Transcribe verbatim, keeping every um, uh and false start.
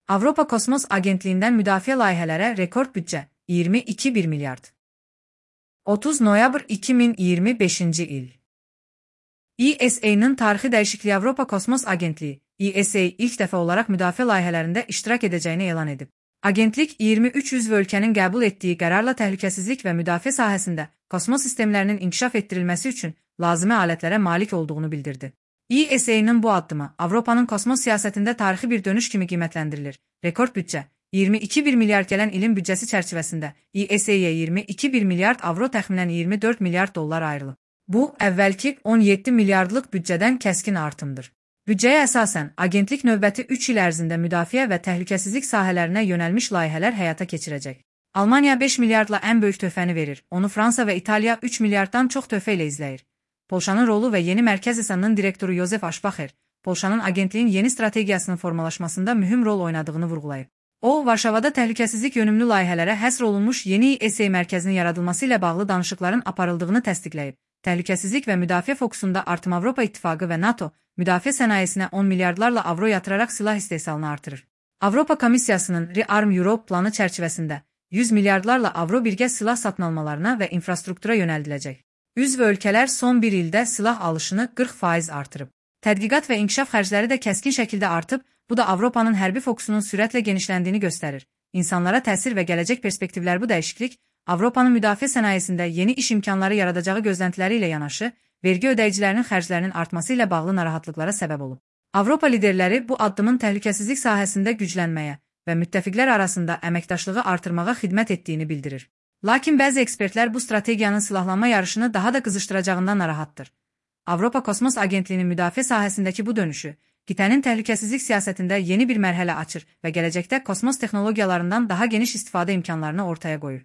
Avropa Kosmos Agentliğinden müdafiə layihələrə rekord büdcə iyirmi iki bir milyard. otuz noyabr iki min iyirmi beşinci il. E S A-nın tarixi dəyişikliyi Avropa Kosmos Agentliyi E S A ilk dəfə olaraq müdafiə layihələrində iştirak edəcəyini elan edib. Agentlik iyirmi üç üzv ölkənin qəbul etdiyi qərarla təhlükəsizlik və müdafiə sahəsində kosmos sistemlərinin inkişaf etdirilməsi üçün lazımi alətlərə malik olduğunu bildirdi. E S A-nın bu addımı Avropanın kosmos siyasətində tarixi bir dönüş kimi qiymətləndirilir. Rekord büdcə iyirmi iki bir milyard gələn ilin büdcəsi çərçivəsində E S A-yə iyirmi iki bir milyard avro təxminən iyirmi dörd milyard dollar ayrılıb. Bu, əvvəlki on yeddi milyardlıq büdcədən kəskin artımdır. Büdcəyə əsasən, agentlik növbəti üç il ərzində müdafiə və təhlükəsizlik sahələrinə yönəlmiş layihələr həyata keçirəcək. Almaniya beş milyardla ən böyük töhfəni verir, onu Fransa və İtaliya üç milyarddan çox töhfə ilə izləyir. Polşanın rolu və yeni Mərkəz İ S A-nın direktoru Yozef Aşbaxer, Polşanın agentliyin yeni strategiyasının formalaşmasında mühüm rol oynadığını vurğulayıb. O, Varşavada təhlükəsizlik yönümlü layihələrə həsr olunmuş yeni E S A mərkəzinin yaradılması ilə bağlı danışıqların aparıldığını təsdiqləyib. Təhlükəsizlik və müdafiə fokusunda artım Avropa İttifaqı və NATO, müdafiə sənayesinə on milyardlarla avro yatıraraq silah istehsalını artırır. Avropa Komissiyasının Rearm Europe planı çərçivəsində yüz milyardlarla avro birgə silah satın almalarına və infrastruktura yönəldiləcək. Üzv ölkələr son bir ildə silah alışını qırx faiz artırıb. Tədqiqat və inkişaf xərcləri də kəskin şəkildə artıb, bu da Avropanın hərbi fokusunun sürətlə genişləndiyini göstərir. İnsanlara təsir və gələcək perspektivlər bu dəyişiklik, Avropanın müdafiə sənayesində yeni iş imkanları yaradacağı gözləntiləri ilə yanaşı, vergi ödəyicilərinin xərclərinin artması ilə bağlı narahatlıqlara səbəb olub. Avropa liderləri bu addımın təhlükəsizlik sahəsində güclənməyə və müttəfiqlər arasında əməkdaşlığı artırmağa xidmət etdiyini bildirir. Lakin bəzi ekspertlər bu strategiyanın silahlanma yarışını daha da qızışdıracağından narahatdır. Avropa Kosmos Agentliyinin müdafiə sahəsindəki bu dönüşü, qitənin təhlükəsizlik siyasətində yeni bir mərhələ açır və gələcəkdə kosmos texnologiyalarından daha geniş istifadə imkanlarını ortaya qoyur.